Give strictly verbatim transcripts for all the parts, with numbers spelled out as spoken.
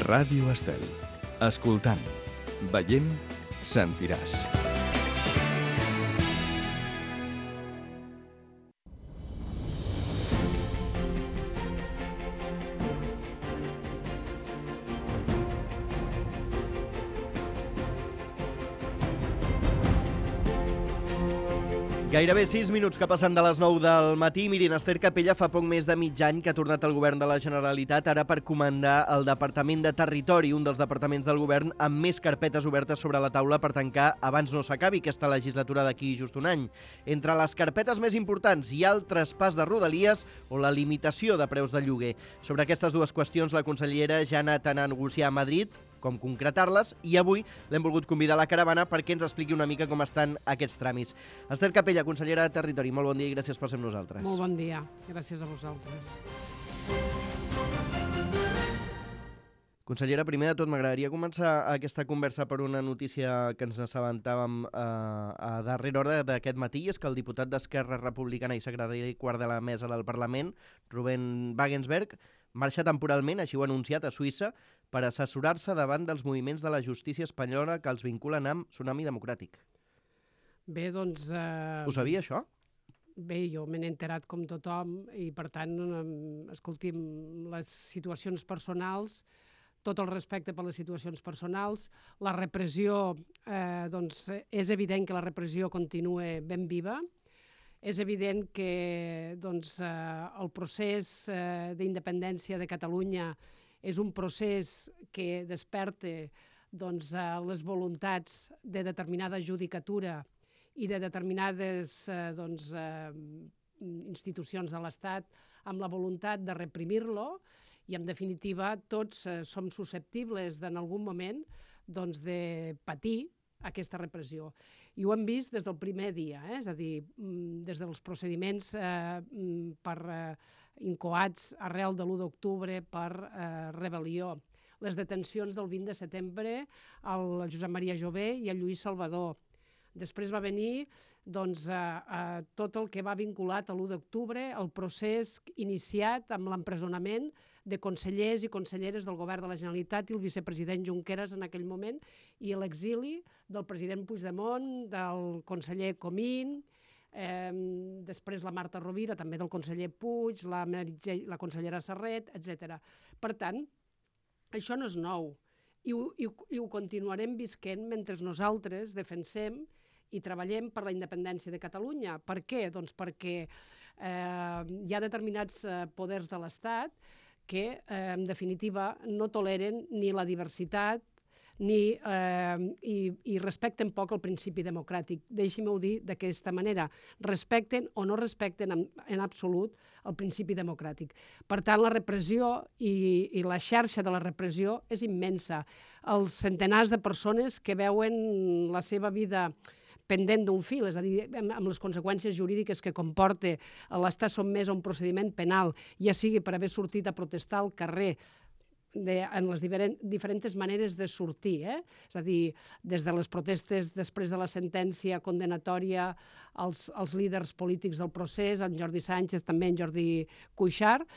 Ràdio Estel. Escoltant, veient, sentiràs. Gairebé sis minuts que passen de les nou del matí. Mirin, Ester Capella fa poc més de mig any que ha tornat al govern de la Generalitat, ara per comandar el Departament de Territori, un dels departaments del govern amb més carpetes obertes sobre la taula per tancar abans no s'acabi aquesta legislatura d'aquí just un any. Entre les carpetes més importants hi ha el traspàs de Rodalies o la limitació de preus de lloguer. Sobre aquestes dues qüestions la consellera ja ha anat a negociar a Madrid com concretar-les, i avui l'hem volgut convidar a la caravana perquè ens expliqui una mica com estan aquests tràmits. Ester Capella, consellera de Territori, molt bon dia i gràcies per ser amb nosaltres. Molt bon dia, gràcies a vosaltres. Consellera, primer de tot m'agradaria començar aquesta conversa per una notícia que ens assabentàvem a, a darrera hora d'aquest matí, és que el diputat d'Esquerra Republicana i secretari quart de la mesa del Parlament, Ruben Wagensberg, marxa temporalment, així ho ha anunciat, a Suïssa, per assessorar-se davant dels moviments de la justícia espanyola que els vinculen amb Tsunami Democràtic. Bé, doncs... Eh... Ho sabia, això? Bé, jo me n'he enterat com tothom i, per tant, eh, escolti'm, les situacions personals, tot el respecte per les situacions personals, la repressió, eh, doncs, és evident que la repressió continua ben viva. És evident que doncs, eh, el procés eh, d'independència de Catalunya és un procés que desperta doncs, eh, les voluntats de determinada judicatura i de determinades eh, doncs, eh, institucions de l'Estat amb la voluntat de reprimir-lo, i en definitiva tots eh, som susceptibles en algun moment doncs, de patir aquesta repressió. I ho hem vist des del primer dia, eh? És a dir, des dels procediments eh, per eh, incoats arrel de l'u d'octubre per eh, rebel·lió, les detencions del vint de setembre al Josep Maria Jové i al Lluís Salvador. Després va venir doncs, eh, eh, tot el que va vinculat a l'u d'octubre, el procés iniciat amb l'empresonament de consellers i conselleres del govern de la Generalitat i el vicepresident Junqueras en aquell moment, i l'exili del president Puigdemont, del conseller Comín, eh, després la Marta Rovira, també del conseller Puig, la, la consellera Serret, etcètera. Per tant, això no és nou i ho, i, i ho continuarem visquent mentre nosaltres defensem i treballem per la independència de Catalunya. Per què? Doncs perquè eh, hi ha determinats eh, poders de l'Estat que, eh, en definitiva, no toleren ni la diversitat ni, eh, i, i respecten poc el principi democràtic. Deixi-m'ho dir d'aquesta manera. Respecten o no respecten en, en absolut el principi democràtic. Per tant, la repressió i, i la xarxa de la repressió és immensa. Els centenars de persones que veuen la seva vida pendent d'un fil, és a dir, amb les conseqüències jurídiques que comporta l'estar sotmès a un procediment penal, ja sigui per haver sortit a protestar al carrer, de, en les diferent, diferents maneres de sortir, eh? És a dir, des de les protestes després de la sentència condenatòria als, als líders polítics del procés, en Jordi Sánchez, també en Jordi Cuixart,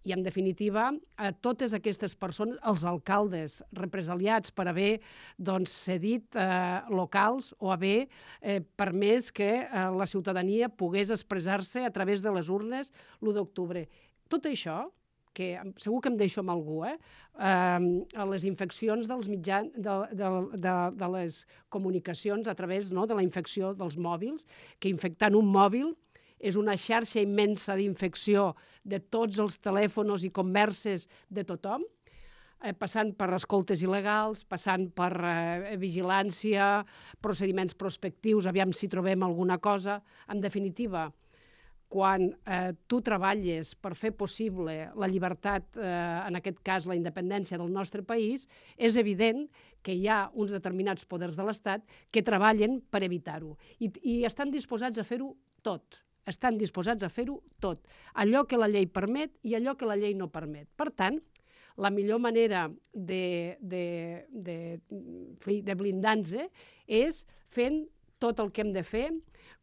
i, en definitiva, a totes aquestes persones, els alcaldes represaliats per haver doncs, cedit eh, locals o haver eh, permès que eh, la ciutadania pogués expressar-se a través de les urnes l'u d'octubre. Tot això, que segur que em deixo amb algú, eh? Eh, les infeccions dels mitjans, de, de, de, de les comunicacions a través no, de la infecció dels mòbils, que infectant un mòbil és una xarxa immensa d'infecció de tots els telèfons i converses de tothom, eh, passant per escoltes il·legals, passant per eh, vigilància, procediments prospectius, aviam si trobem alguna cosa. En definitiva, quan eh, tu treballes per fer possible la llibertat, eh, en aquest cas la independència del nostre país, és evident que hi ha uns determinats poders de l'Estat que treballen per evitar-ho i, i estan disposats a fer-ho tot. Estan disposats a fer-ho tot, allò que la llei permet i allò que la llei no permet. Per tant, la millor manera de, de, de, de blindar-nos és fent tot el que hem de fer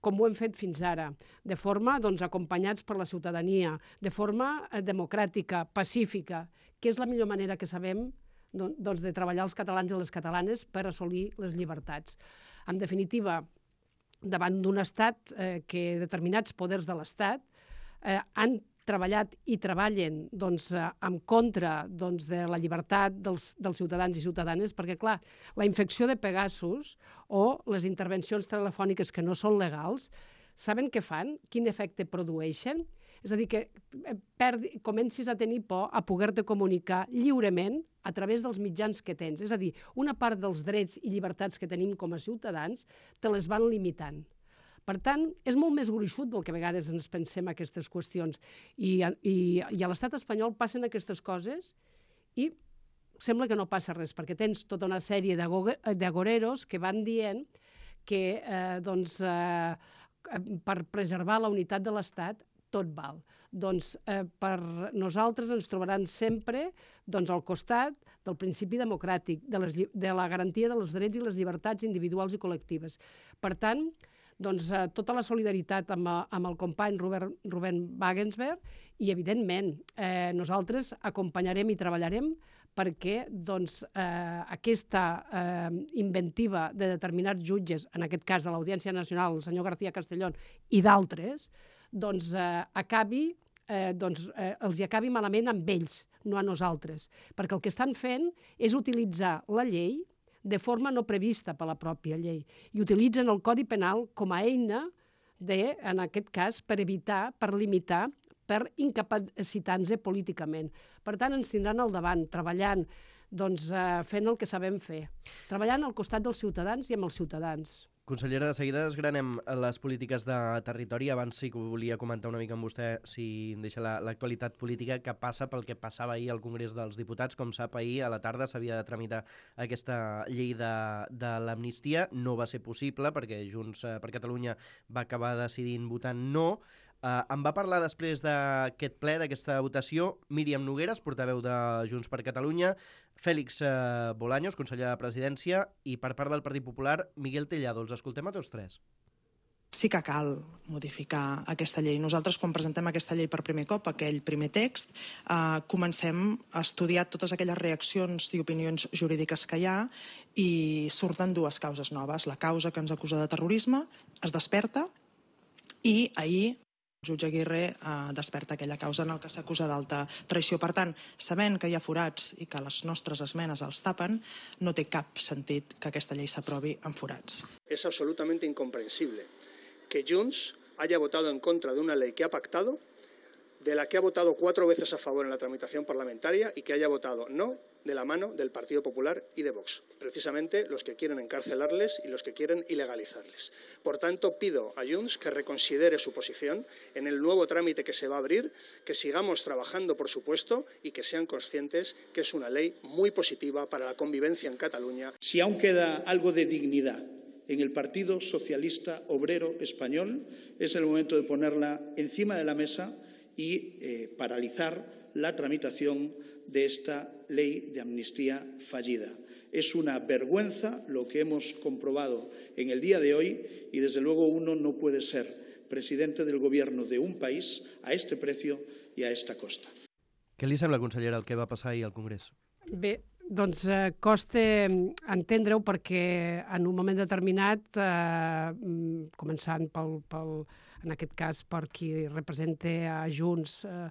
com ho hem fet fins ara, de forma doncs, acompanyats per la ciutadania, de forma democràtica, pacífica, que és la millor manera que sabem doncs, de treballar els catalans i les catalanes per assolir les llibertats. En definitiva, davant d'un estat eh, que determinats poders de l'estat eh, han treballat i treballen doncs, eh, en contra doncs, de la llibertat dels, dels ciutadans i ciutadanes, perquè, clar, la infecció de Pegasus o les intervencions telefòniques que no són legals, saben què fan? Quin efecte produeixen? És a dir, que perdi, comencis a tenir por a poder-te comunicar lliurement a través dels mitjans que tens. És a dir, una part dels drets i llibertats que tenim com a ciutadans te les van limitant. Per tant, és molt més gruixut del que a vegades ens pensem aquestes qüestions. I, i, i a l'estat espanyol passen aquestes coses i sembla que no passa res, perquè tens tota una sèrie d'agoreros que van dient que eh, doncs, eh, per preservar la unitat de l'estat tot val. Doncs eh, per nosaltres ens trobaran sempre doncs, al costat del principi democràtic, de, les, de la garantia dels drets i les llibertats individuals i col·lectives. Per tant, doncs, eh, tota la solidaritat amb, amb el company Robert, Rubén Wagensberg i, evidentment, eh, nosaltres acompanyarem i treballarem perquè doncs, eh, aquesta eh, inventiva de determinats jutges, en aquest cas de l'Audiència Nacional, el senyor García Castellón i d'altres, doncs, eh, acabi, eh, doncs, eh, els hi acabi malament amb ells, no a nosaltres. Perquè el que estan fent és utilitzar la llei de forma no prevista per la pròpia llei i utilitzen el Codi Penal com a eina de, en aquest cas, per evitar, per limitar, per incapacitar-nos políticament. Per tant, ens tindran al davant, treballant, doncs, eh, fent el que sabem fer, treballant al costat dels ciutadans i amb els ciutadans. Consellera, de seguida desgranem les polítiques de territori. Abans sí que volia comentar una mica amb vostè, si em deixa l'actualitat política, que passa pel que passava ahir al Congrés dels Diputats. Com sap, ahir a la tarda s'havia de tramitar aquesta llei de, de l'amnistia. No va ser possible perquè Junts per Catalunya va acabar decidint votant no. Uh, em va parlar després d'aquest ple, d'aquesta votació, Míriam Nogueras, portaveu de Junts per Catalunya, Fèlix uh, Bolaños, conseller de Presidència, i per part del Partit Popular, Miguel Tellado. Els escoltem a tots tres. Sí que cal modificar aquesta llei. Nosaltres, quan presentem aquesta llei per primer cop, aquell primer text, eh, comencem a estudiar totes aquelles reaccions i opinions jurídiques que hi ha i surten dues causes noves. La causa que ens acusa de terrorisme es desperta i ahir el jutge Aguirre eh, desperta aquella causa en el que s'acusa d'alta traïció. Per tant, sabent que hi ha forats i que les nostres esmenes els tapen, no té cap sentit que aquesta llei s'aprovi amb forats. Es absolutamente incomprensible que Junts haya votado en contra de una ley que ha pactado, de la que ha votado cuatro veces a favor en la tramitación parlamentaria y que haya votado no de la mano del Partido Popular y de Vox, precisamente los que quieren encarcelarles y los que quieren ilegalizarles. Por tanto, pido a Junts que reconsidere su posición en el nuevo trámite que se va a abrir, que sigamos trabajando, por supuesto, y que sean conscientes que es una ley muy positiva para la convivencia en Cataluña. Si aún queda algo de dignidad en el Partido Socialista Obrero Español, es el momento de ponerla encima de la mesa y eh, paralizar la tramitación de esta ley de amnistía fallida. Es una vergüenza lo que hemos comprobado en el día de hoy y, desde luego, uno no puede ser presidente del gobierno de un país a este precio y a esta costa. Què li sembla, consellera, el que va passar ahir al Congrés? Bé, doncs eh, costa entendre-ho perquè en un moment determinat, eh, començant pel, pel, en aquest cas per qui representa a Junts eh,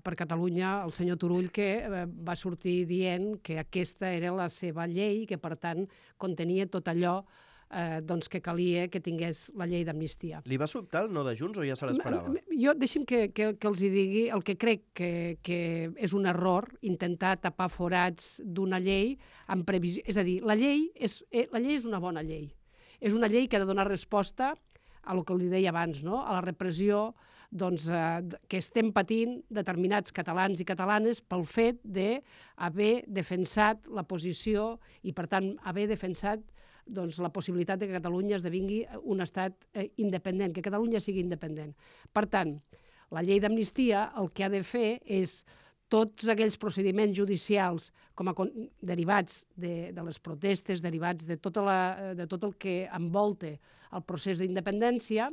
per Catalunya, el senyor Turull, que eh, va sortir dient que aquesta era la seva llei i que, per tant, contenia tot allò eh, doncs que calia que tingués la llei d'amnistia. Li va sobtar el no de Junts o ja se l'esperava? Jo, deixi'm que, que, que els hi digui el que crec que, que és un error intentar tapar forats d'una llei amb previsió. És a dir, la llei és, la llei és una bona llei. És una llei que ha de donar resposta a el que li deia abans, no? A la repressió doncs, eh, que estem patint determinats catalans i catalanes pel fet d'haver defensat la posició i, per tant, haver defensat doncs, la possibilitat de que Catalunya esdevingui un estat eh, independent, que Catalunya sigui independent. Per tant, la llei d'amnistia el que ha de fer és tots aquells procediments judicials com a derivats de, de les protestes, derivats de, tota la, de tot el que envolta el procés d'independència,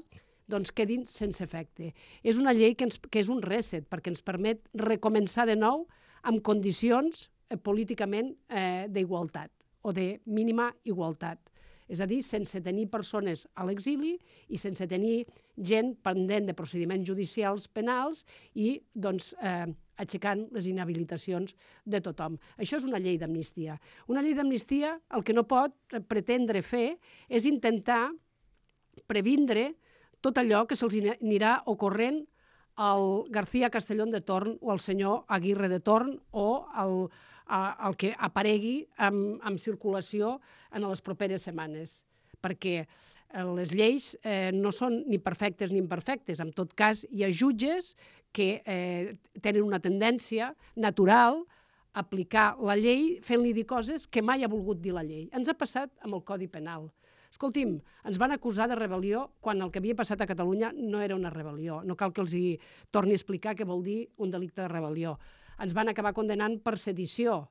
doncs quedin sense efecte. És una llei que, ens, que és un reset, perquè ens permet recomençar de nou amb condicions eh, políticament eh, d'igualtat o de mínima igualtat. És a dir, sense tenir persones a l'exili i sense tenir gent pendent de procediments judicials penals i doncs, eh, aixecant les inhabilitacions de tothom. Això és una llei d'amnistia. Una llei d'amnistia el que no pot pretendre fer és intentar previndre tot allò que se'ls anirà ocorrent al García Castellón de torn o al senyor Aguirre de torn o al el que aparegui en, en circulació en les properes setmanes, perquè les lleis eh, no són ni perfectes ni imperfectes. En tot cas, hi ha jutges que eh, tenen una tendència natural a aplicar la llei fent-li dir coses que mai ha volgut dir la llei. Ens ha passat amb el Codi Penal. Escolti'm, ens van acusar de rebel·lió quan el que havia passat a Catalunya no era una rebel·lió. No cal que els hi torni a explicar què vol dir un delicte de rebel·lió. Ens van acabar condenant per sedició.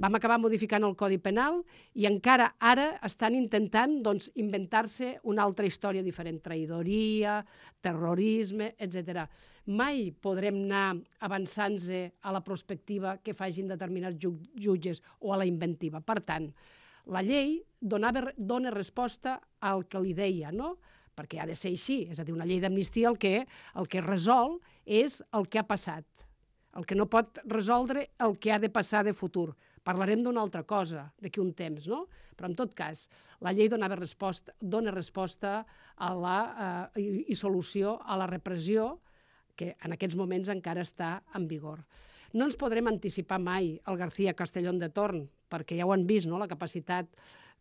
Vam acabar modificant el Codi Penal i encara ara estan intentant doncs, inventar-se una altra història diferent. Traïdoria, terrorisme, etcètera. Mai podrem anar avançant-se a la prospectiva que facin determinats jutges o a la inventiva. Per tant, la llei donava, dona resposta al que li deia, no? Perquè ha de ser així. És a dir, una llei d'amnistia el que, el que resol és el que ha passat. El que no pot resoldre el que ha de passar de futur. Parlarem d'una altra cosa d'aquí un temps, no? Però en tot cas, la llei donava resposta, dona resposta a la, eh, i, i solució a la repressió que en aquests moments encara està en vigor. No ens podrem anticipar mai al García Castellón de torn, perquè ja ho han vist, no?, la capacitat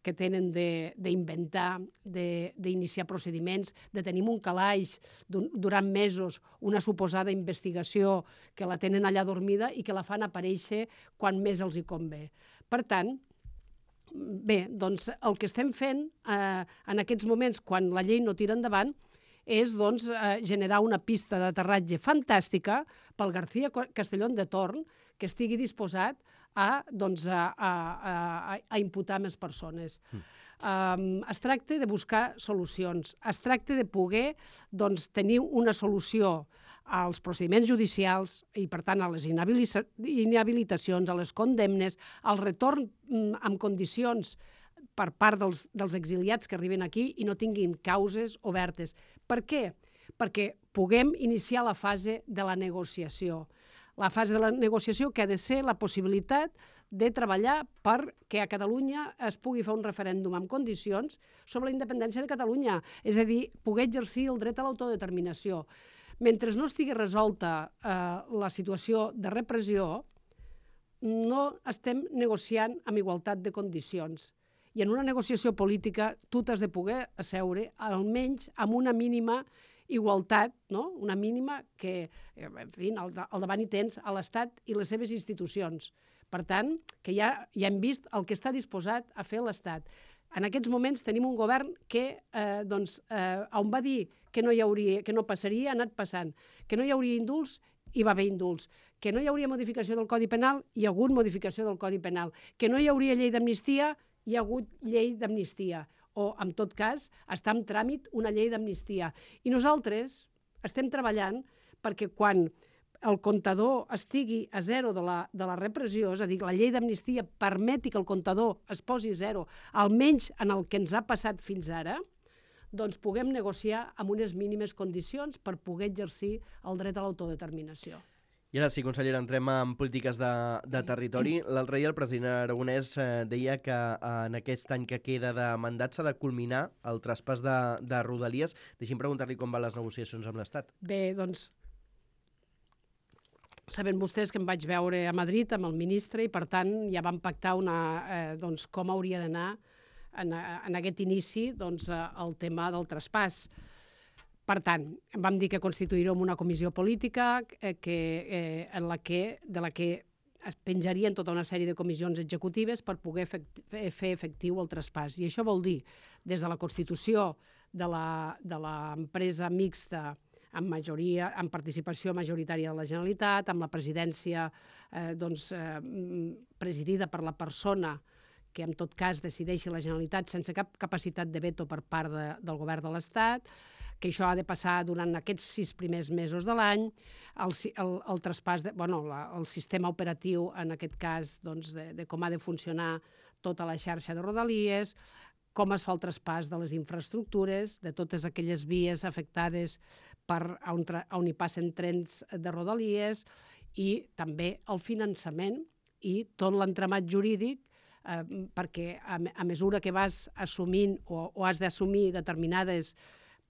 que tenen d'inventar, d'iniciar procediments, de tenir un calaix durant mesos, una suposada investigació que la tenen allà dormida i que la fan aparèixer quan més els hi convé. Per tant, bé, doncs el que estem fent eh, en aquests moments, quan la llei no tira endavant, és doncs, eh, generar una pista d'aterratge fantàstica pel García Castellón de torn, que estigui disposat a, doncs, a, a, a, a imputar més persones. Mm. Um, es tracta de buscar solucions, es tracta de poder doncs, tenir una solució als procediments judicials i, per tant, a les inhabilitacions, a les condemnes, al retorn mm, en condicions per part dels, dels exiliats que arriben aquí i no tinguin causes obertes. Per què? Perquè puguem iniciar la fase de la negociació. La fase de la negociació que ha de ser la possibilitat de treballar perquè a Catalunya es pugui fer un referèndum en condicions sobre la independència de Catalunya, és a dir, poder exercir el dret a l'autodeterminació. Mentre no estigui resolta eh, la situació de repressió, no estem negociant amb igualtat de condicions. I en una negociació política tu t'has de poder asseure almenys amb una mínima igualtat, no? Una mínima que, en fi, al davant hi tens a l'Estat i les seves institucions. Per tant, que ja, ja hem vist el que està disposat a fer l'Estat. En aquests moments tenim un govern que, eh, doncs, eh, on va dir que no hi hauria, que no passaria, ha anat passant. Que no hi hauria indults, hi va haver indults. Que no hi hauria modificació del Codi Penal, hi ha hagut modificació del Codi Penal. Que no hi hauria llei d'amnistia, hi ha hagut llei d'amnistia. O, en tot cas, està en tràmit una llei d'amnistia. I nosaltres estem treballant perquè quan el comptador estigui a zero de la, de la repressió, és a dir, la llei d'amnistia permeti que el comptador es posi a zero, almenys en el que ens ha passat fins ara, doncs puguem negociar amb unes mínimes condicions per poder exercir el dret a l'autodeterminació. I ara sí, consellera, entrem en polítiques de, de territori. L'altre dia el president Aragonès eh, deia que eh, en aquest any que queda de mandat s'ha de culminar el traspàs de, de Rodalies. Deixi'm preguntar-li com van les negociacions amb l'Estat. Bé, doncs, saben vostès que em vaig veure a Madrid amb el ministre i, per tant, ja vam pactar una, eh, doncs, com hauria d'anar en, en aquest inici doncs, el tema del traspàs. Per tant, vam dir que constituirem una comissió política eh, que, eh, en la que, de la que es penjarien tota una sèrie de comissions executives per poder efecti fer efectiu el traspàs. I això vol dir, des de la constitució de l'empresa mixta amb, majoria, amb participació majoritària de la Generalitat, amb la presidència eh, doncs, eh, presidida per la persona que en tot cas decideixi la Generalitat sense cap capacitat de veto per part de, del govern de l'Estat, que això ha de passar durant aquests sis primers mesos de l'any, el, el, el traspàs, de, bueno, la, el sistema operatiu, en aquest cas, doncs, de, de com ha de funcionar tota la xarxa de Rodalies, com es fa el traspàs de les infraestructures, de totes aquelles vies afectades per on, on hi passen trens de Rodalies, i també el finançament i tot l'entramat jurídic, eh, perquè a, a mesura que vas assumint o, o has d'assumir determinades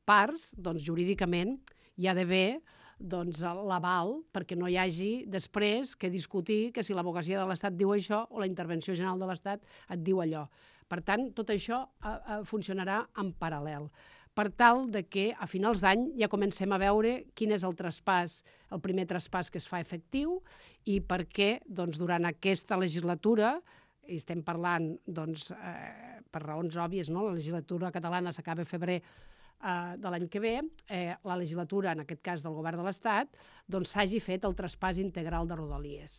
parts, doncs jurídicament hi ha d'haver doncs, l'aval perquè no hi hagi després que discutir que si l'advocacia de l'Estat diu això o la intervenció general de l'Estat et diu allò. Per tant, tot això eh, eh, funcionarà en paral·lel, per tal de que a finals d'any ja comencem a veure quin és el traspàs, el primer traspàs que es fa efectiu i per què doncs, durant aquesta legislatura, i estem parlant doncs, eh, per raons òbvies, no? La legislatura catalana s'acaba a febrer Uh, de l'any que ve, eh, la legislatura, en aquest cas del govern de l'Estat, doncs s'hagi fet el traspàs integral de Rodalies.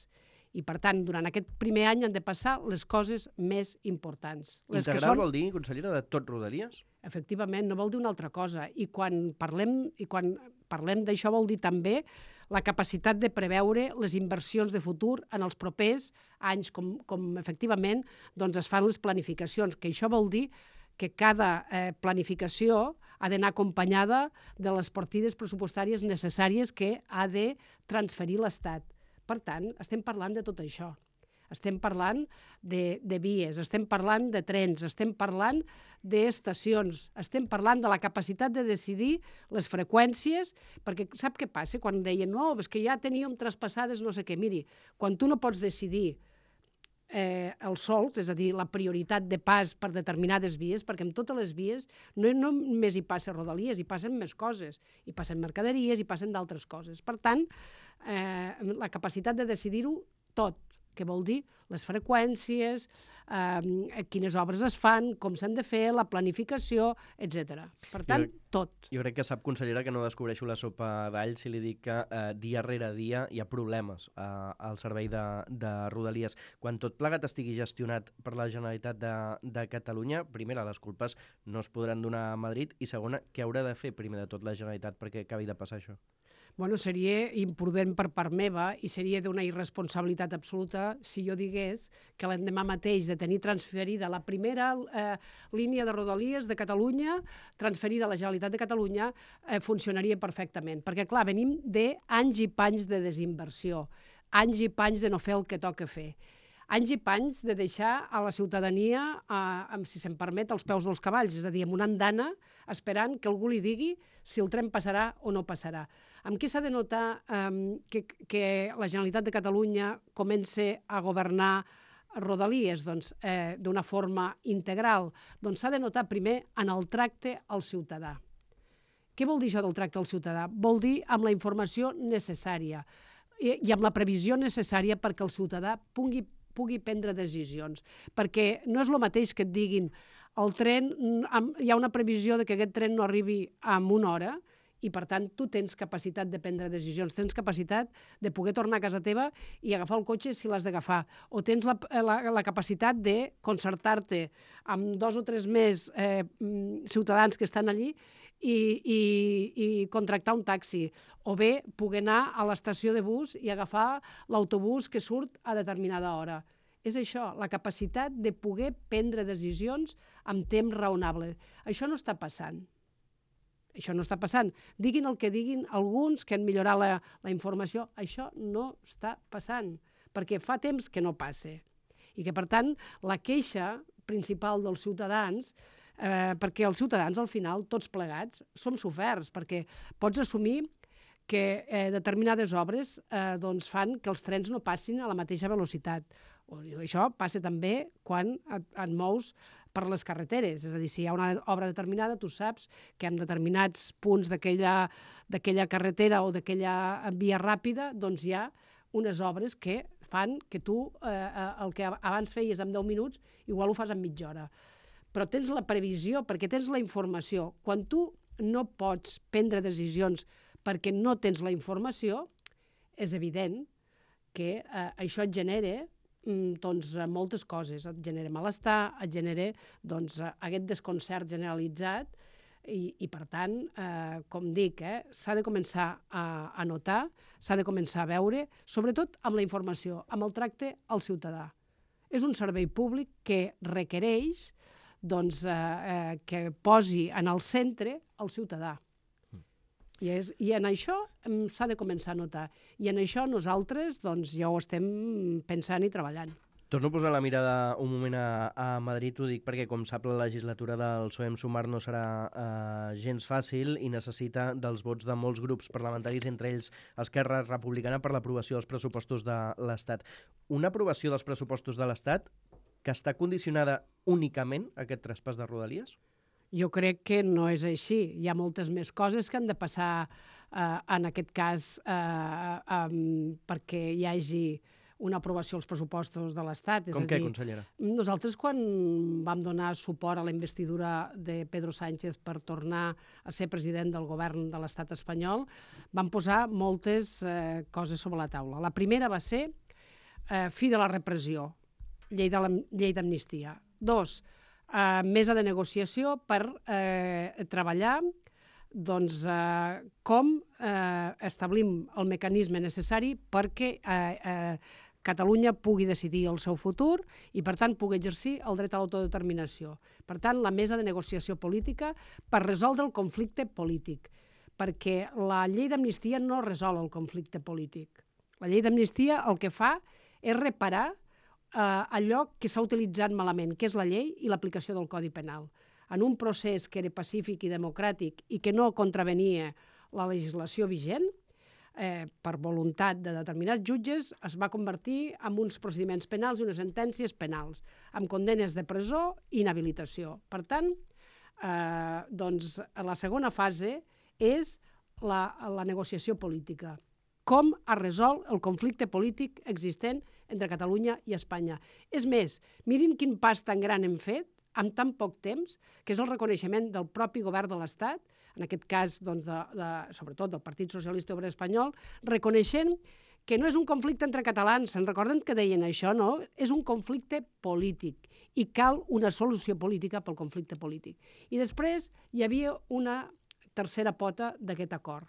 I, per tant, durant aquest primer any han de passar les coses més importants. Les Integral que són... vol dir, consellera, de tot Rodalies? Efectivament, no vol dir una altra cosa. I quan parlem, i quan parlem d'això vol dir també la capacitat de preveure les inversions de futur en els propers anys, com, com efectivament doncs, es fan les planificacions, que això vol dir que cada eh, planificació ha d'anar acompanyada de les partides pressupostàries necessàries que ha de transferir l'Estat. Per tant, estem parlant de tot això. Estem parlant de, de vies, estem parlant de trens, estem parlant d'estacions, estem parlant de la capacitat de decidir les freqüències, perquè sap què passa quan deien no, és que ja teníem traspassades no sé què. Miri, quan tu no pots decidir Eh, els sols, és a dir, la prioritat de pas per determinades vies, perquè amb totes les vies no, no només hi passa Rodalies, hi passen més coses, hi passen mercaderies, hi passen d'altres coses. Per tant, eh, la capacitat de decidir-ho tot, que vol dir les freqüències, eh, quines obres es fan, com s'han de fer, la planificació, etcètera. Per tant, jo, tot. Jo crec que sap, consellera, que no descobreixo la sopa d'all si li dic que eh, dia rere dia hi ha problemes eh, al servei de, de Rodalies. Quan tot plegat estigui gestionat per la Generalitat de, de Catalunya, primera, les culpes no es podran donar a Madrid i segona, què haurà de fer primer de tot la Generalitat perquè acabi de passar això? Bueno, seria imprudent per part meva i seria d'una irresponsabilitat absoluta si jo digués que l'endemà mateix de tenir transferida la primera eh, línia de Rodalies de Catalunya, transferida a la Generalitat de Catalunya, eh, funcionaria perfectament. Perquè, clar, venim d'anys i panys de desinversió, anys i panys de no fer el que toca fer. Anys i panys de deixar a la ciutadania, eh, amb, si se'm permet, als peus dels cavalls, és a dir, amb una andana, esperant que algú li digui si el tren passarà o no passarà. Amb què s'ha de notar eh, que, que la Generalitat de Catalunya comença a governar Rodalies? Doncs eh, d'una forma integral. Doncs s'ha de notar primer en el tracte al ciutadà. Què vol dir això del tracte al ciutadà? Vol dir amb la informació necessària i, i amb la previsió necessària perquè el ciutadà pugui pugui prendre decisions, perquè no és el mateix que et diguin el tren, hi ha una previsió de que aquest tren no arribi en una hora i, per tant, tu tens capacitat de prendre decisions, tens capacitat de poder tornar a casa teva i agafar el cotxe si l'has d'agafar, o tens la, la, la capacitat de concertar-te amb dos o tres més eh, ciutadans que estan allí i, i, i contractar un taxi, o bé poder anar a l'estació de bus i agafar l'autobús que surt a determinada hora. És això, la capacitat de poder prendre decisions amb temps raonable. Això no està passant. Això no està passant. Diguin el que diguin alguns que han millorat la, la informació, això no està passant, perquè fa temps que no passa. I que, per tant, la queixa principal dels ciutadans, eh, perquè els ciutadans, al final, tots plegats, som soferts, perquè pots assumir que eh, determinades obres eh, doncs fan que els trens no passin a la mateixa velocitat. O, això passa també quan et, et mous per les carreteres. És a dir, si hi ha una obra determinada, tu saps que en determinats punts d'aquella d'aquella carretera o d'aquella via ràpida doncs hi ha unes obres que fan que tu eh, el que abans feies en deu minuts, igual ho fas en mitja hora. Però tens la previsió, perquè tens la informació. Quan tu no pots prendre decisions perquè no tens la informació, és evident que eh, això et genera doncs, moltes coses. Et genera malestar, et genera doncs, aquest desconcert generalitzat i, i per tant, eh, com dic, eh, s'ha de començar a, a notar, s'ha de començar a veure, sobretot amb la informació, amb el tracte al ciutadà. És un servei públic que requereix doncs, eh, eh, que posi en el centre el ciutadà. I, és, I en això s'ha de començar a notar. I en això nosaltres doncs, ja ho estem pensant i treballant. Torno a posar la mirada un moment a, a Madrid, ho dic perquè, com sap, la legislatura del P S O E en Sumar no serà eh, gens fàcil i necessita dels vots de molts grups parlamentaris, entre ells Esquerra Republicana, per l'aprovació dels pressupostos de l'Estat. Una aprovació dels pressupostos de l'Estat que està condicionada únicament a aquest traspàs de Rodalies? Jo crec que no és així. Hi ha moltes més coses que han de passar, eh, en aquest cas, eh, um, perquè hi hagi una aprovació als pressupostos de l'Estat. Com què, consellera? Nosaltres, quan vam donar suport a la investidura de Pedro Sánchez per tornar a ser president del govern de l'Estat espanyol, vam posar moltes eh, coses sobre la taula. La primera va ser eh, fi de la repressió, llei de la, llei d'amnistia. Dos, Uh, mesa de negociació per uh, treballar doncs, uh, com uh, establim el mecanisme necessari perquè uh, uh, Catalunya pugui decidir el seu futur i, per tant, pugui exercir el dret a l'autodeterminació. Per tant, la mesa de negociació política per resoldre el conflicte polític, perquè la llei d'amnistia no resol el conflicte polític. La llei d'amnistia el que fa és reparar Uh, allò que s'ha utilitzat malament, que és la llei i l'aplicació del Codi Penal. En un procés que era pacífic i democràtic i que no contravenia la legislació vigent, eh, per voluntat de determinats jutges, es va convertir en uns procediments penals i unes sentències penals, amb condenes de presó i inhabilitació. Per tant, eh, doncs, la segona fase és la, la negociació política. Com es resol el conflicte polític existent entre Catalunya i Espanya. És més, mirin quin pas tan gran hem fet en tan poc temps, que és el reconeixement del propi govern de l'Estat, en aquest cas, doncs, de, de, sobretot del Partit Socialista Obrer Espanyol, reconeixent que no és un conflicte entre catalans, se'n recorden que deien això, no? És un conflicte polític i cal una solució política pel conflicte polític. I després hi havia una tercera pota d'aquest acord,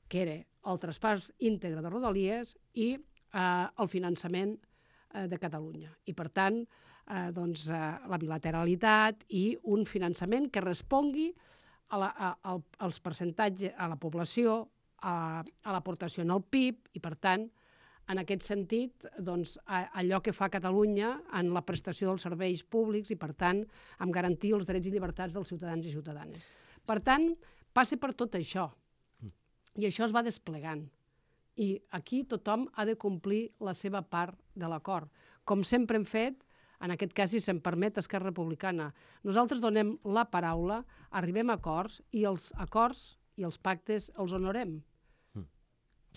que era el traspàs íntegre de Rodalies i eh, el finançament eh, de Catalunya. I, per tant, eh, doncs, eh, la bilateralitat i un finançament que respongui a la, a, a, als percentatges, a la població, a, a l'aportació en el P I B i, per tant, en aquest sentit, doncs, a, allò que fa Catalunya en la prestació dels serveis públics i, per tant, amb garantir els drets i llibertats dels ciutadans i ciutadanes. Per tant, passa per tot això. I això es va desplegant. I aquí tothom ha de complir la seva part de l'acord. Com sempre hem fet, en aquest cas, si se'm permet, Esquerra Republicana. Nosaltres donem la paraula, arribem a acords i els acords i els pactes els honorem. Mm.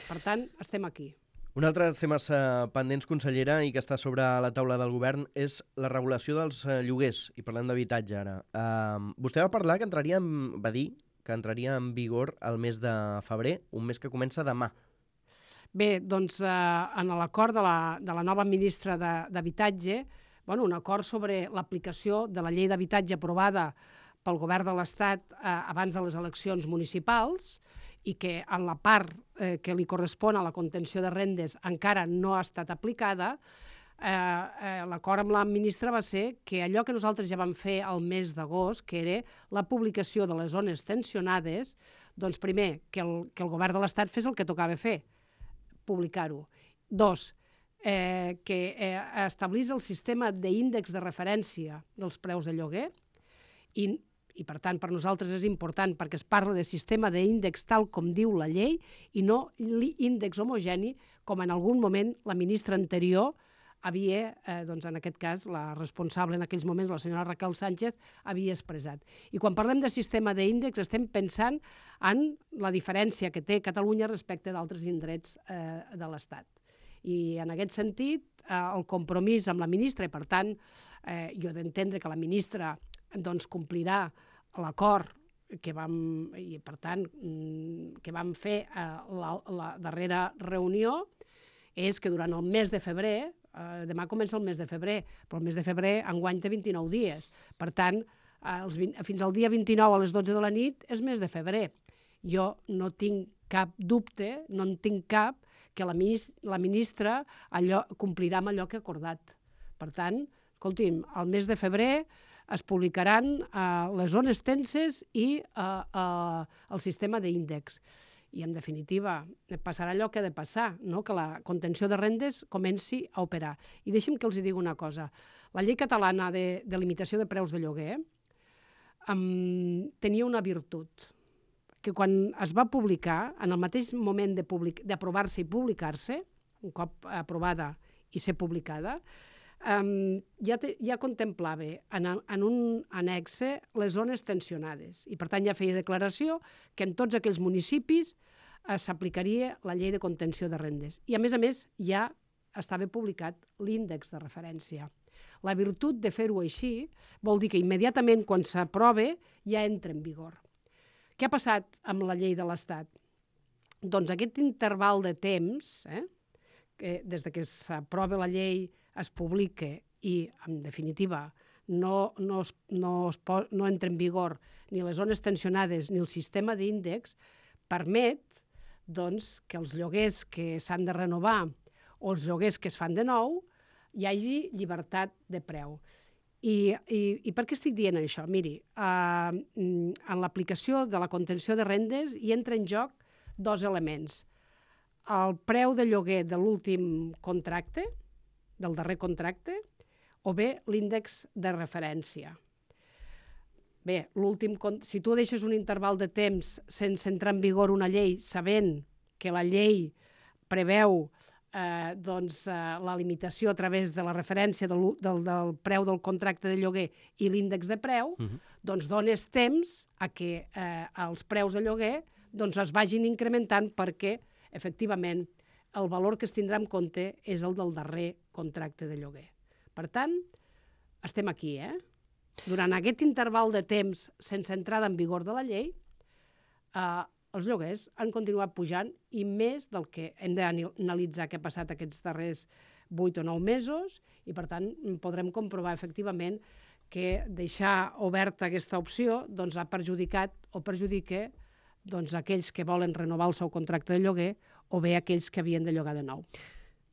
Per tant, estem aquí. Un altre dels temes eh, pendents, consellera, i que està sobre la taula del govern, és la regulació dels eh, lloguers. I parlem d'habitatge ara. Uh, vostè va parlar que entraria en, va dir que entraria en vigor el mes de febrer, un mes que comença demà. Bé, doncs, eh, en l'acord de, la, de la nova ministra d'Habitatge, bueno, un acord sobre l'aplicació de la llei d'habitatge aprovada pel govern de l'Estat eh, abans de les eleccions municipals i que en la part eh, que li correspon a la contenció de rendes encara no ha estat aplicada. Eh, eh, l'acord amb la ministra va ser que allò que nosaltres ja vam fer al mes d'agost, que era la publicació de les zones tensionades, doncs primer, que el, que el govern de l'Estat fes el que tocava fer, publicar-ho. Dos, eh, que eh, establís el sistema d'índex de referència dels preus de lloguer i, i, per tant, per nosaltres és important perquè es parla de sistema d'índex tal com diu la llei i no l'índex homogeni com en algun moment la ministra anterior havia, eh, doncs en aquest cas, la responsable en aquells moments, la senyora Raquel Sánchez, havia expressat. I quan parlem de sistema d'índex estem pensant en la diferència que té Catalunya respecte d'altres indrets eh, de l'Estat. I en aquest sentit, eh, el compromís amb la ministra, i per tant, eh, jo he d'entendre que la ministra doncs, complirà l'acord que vam, i per tant, que vam fer eh, la, la darrera reunió, és que durant el mes de febrer eh, demà comença el mes de febrer, però el mes de febrer enguany té vint-i-nou dies. Per tant, eh, els vint, fins al dia vint-i-nou a les dotze de la nit és mes de febrer. Jo no tinc cap dubte, no en tinc cap, que la, ministra, la ministra allò, complirà amb allò que ha acordat. Per tant, escolti'm, al mes de febrer es publicaran uh, les zones tenses i uh, uh, el sistema d'índex. I, en definitiva, passarà allò que ha de passar, no? Que la contenció de rendes comenci a operar. I deixi'm que els digui una cosa. La llei catalana de, de limitació de preus de lloguer um, tenia una virtut, que quan es va publicar, en el mateix moment d'aprovar-se i publicar-se, un cop aprovada i ser publicada, Um, ja, te, ja contemplava en, en un annexe les zones tensionades i per tant ja feia declaració que en tots aquells municipis eh, s'aplicaria la llei de contenció de rendes i a més a més ja estava publicat l'índex de referència. La virtut de fer-ho així vol dir que immediatament quan s'aprova ja entra en vigor. Què ha passat amb la llei de l'Estat? Doncs aquest interval de temps, eh, que des de que s'aprova la llei es publica i, en definitiva, no, no, es, no, es po, no entra en vigor ni les zones tensionades ni el sistema d'índex, permet doncs, que els lloguers que s'han de renovar o els lloguers que es fan de nou hi hagi llibertat de preu. I, i, i per què estic dient això? Miri, eh, en l'aplicació de la contenció de rendes hi entra en joc dos elements. El preu de lloguer de l'últim contracte, del darrer contracte, o bé l'índex de referència. Bé, l'últim, si tu deixes un interval de temps sense entrar en vigor una llei, sabent que la llei preveu eh, doncs, eh, la limitació a través de la referència del, del, del preu del contracte de lloguer i l'índex de preu, uh-huh. doncs dones temps a que eh, els preus de lloguer doncs, es vagin incrementant perquè, efectivament, el valor que es tindrà en compte és el del darrer contracte de lloguer. Per tant, estem aquí, eh? Durant aquest interval de temps sense entrada en vigor de la llei, eh, els lloguers han continuat pujant i més del que hem d'analitzar què ha passat aquests darrers vuit o nou mesos i, per tant, podrem comprovar efectivament que deixar oberta aquesta opció doncs, ha perjudicat o perjudica doncs, aquells que volen renovar el seu contracte de lloguer o bé aquells que havien de llogar de nou.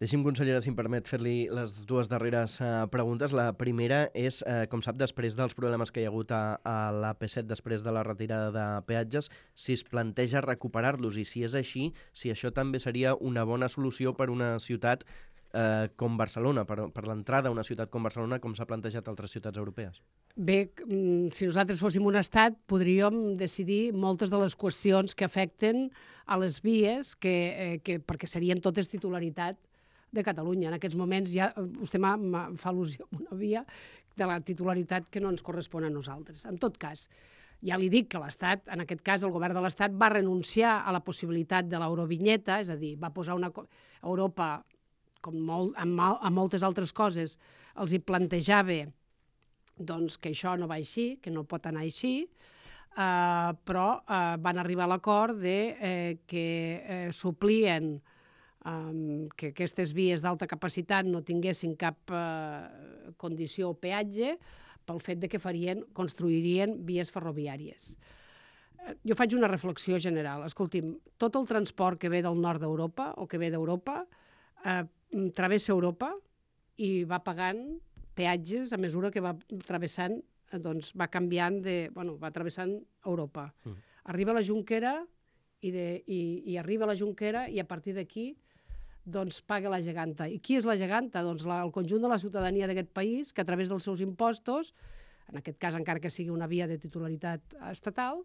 Deixi'm, consellera, si em permet fer-li les dues darreres uh, preguntes. La primera és, uh, com sap, després dels problemes que hi ha hagut a, a l'A P set, després de la retirada de peatges, si es planteja recuperar-los i si és així, si això també seria una bona solució per una ciutat uh, com Barcelona, per, per l'entrada a una ciutat com Barcelona, com s'ha plantejat a altres ciutats europees. Bé, si nosaltres fóssim un estat, podríem decidir moltes de les qüestions que afecten a les vies, que, eh, que, perquè serien totes titularitat de Catalunya. En aquests moments ja vostè m'ha, m'ha, fa al·lusió a una via de la titularitat que no ens correspon a nosaltres. En tot cas, ja li dic que l'Estat, en aquest cas el govern de l'Estat, va renunciar a la possibilitat de l'eurovinyeta, és a dir, va posar una... Europa, com molt, amb, amb moltes altres coses, els hi plantejava doncs, que això no va així, que no pot anar així, eh, però eh, van arribar a l'acord de, eh, que eh, suplien Um, que aquestes vies d'alta capacitat no tinguessin cap uh, condició o peatge pel fet de que farien, construirien vies ferroviàries. Uh, jo faig una reflexió general. Escolti'm, tot el transport que ve del nord d'Europa o que ve d'Europa uh, travessa Europa i va pagant peatges a mesura que va travessant, uh, doncs va canviant de... Bueno, va travessant Europa. Mm. Arriba a la Jonquera i, de, i, i arriba a la Jonquera i a partir d'aquí doncs paga la geganta. I qui és la geganta? Doncs la, el conjunt de la ciutadania d'aquest país, que a través dels seus impostos, en aquest cas encara que sigui una via de titularitat estatal,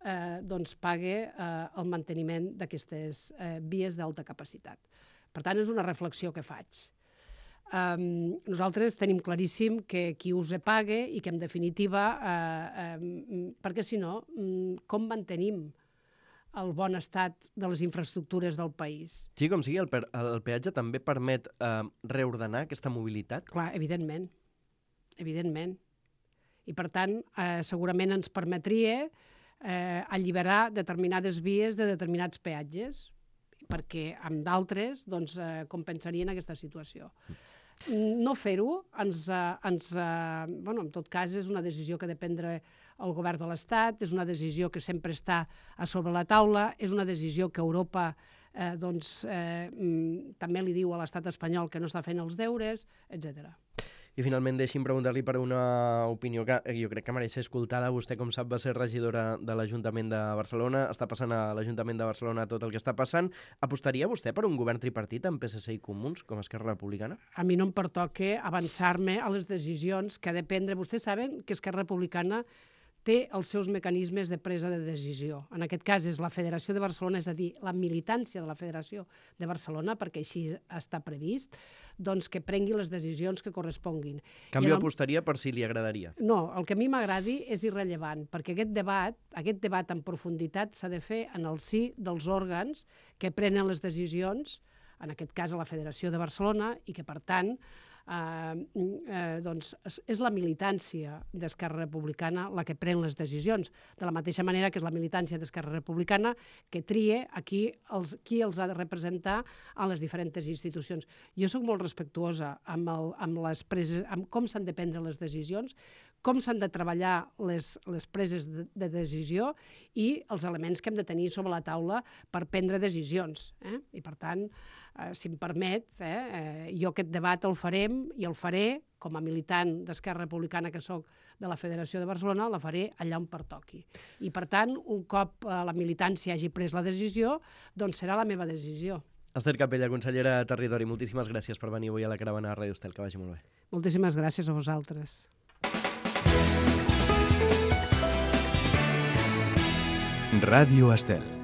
eh, doncs paga eh, el manteniment d'aquestes eh, vies d'alta capacitat. Per tant, és una reflexió que faig. Um, nosaltres tenim claríssim que qui us paga i que, en definitiva, eh, eh, perquè si no, com mantenim el bon estat de les infraestructures del país? Sí, com sigui, el, per, el peatge també permet eh, reordenar aquesta mobilitat? Clar, evidentment. Evidentment. I, per tant, eh, segurament ens permetria eh, alliberar determinades vies de determinats peatges, perquè amb d'altres doncs, eh, compensarien aquesta situació. no fer-ho, ens, eh, ens, eh, bueno, en tot cas, és una decisió que ha de prendre el govern de l'Estat, és una decisió que sempre està a sobre la taula, és una decisió que Europa eh, doncs, eh, també li diu a l'Estat espanyol que no està fent els deures, etcètera. I finalment deixi'm preguntar-li per una opinió que jo crec que mereix ser escoltada. Vostè, com sap, va ser regidora de l'Ajuntament de Barcelona, està passant a l'Ajuntament de Barcelona tot el que està passant. Apostaria vostè per un govern tripartit amb P S C i Comuns, com a Esquerra Republicana? A mi no em pertoca avançar-me a les decisions que ha de prendre. Vostès saben que Esquerra Republicana té els seus mecanismes de presa de decisió. En aquest cas és la Federació de Barcelona, és a dir, la militància de la Federació de Barcelona, perquè així està previst, doncs que prengui les decisions que corresponguin. Canvi apostaria per si li agradaria? No, el que a mi m'agradi és irrellevant, perquè aquest debat, aquest debat en profunditat s'ha de fer en el si dels òrgans que prenen les decisions, en aquest cas a la Federació de Barcelona, i que, per tant, Uh, uh, doncs és la militància d'Esquerra Republicana la que pren les decisions, de la mateixa manera que és la militància d'Esquerra Republicana que trie aquí els, qui els ha de representar a les diferents institucions. Jo sóc molt respectuosa amb, el, amb, les preses, amb com s'han de prendre les decisions, com s'han de treballar les, les preses de, de decisió i els elements que hem de tenir sobre la taula per prendre decisions. Eh? I per tant, eh, si em permet, eh, eh, jo aquest debat el farem i el faré, com a militant d'Esquerra Republicana que sóc de la Federació de Barcelona, la faré allà on pertoqui. I per tant, un cop la militància hagi pres la decisió, doncs serà la meva decisió. Ester Capella, consellera de Territori, moltíssimes gràcies per venir avui a la caravana de Ràdio Estel, que vagi molt bé. Moltíssimes gràcies a vosaltres. Ràdio Estel.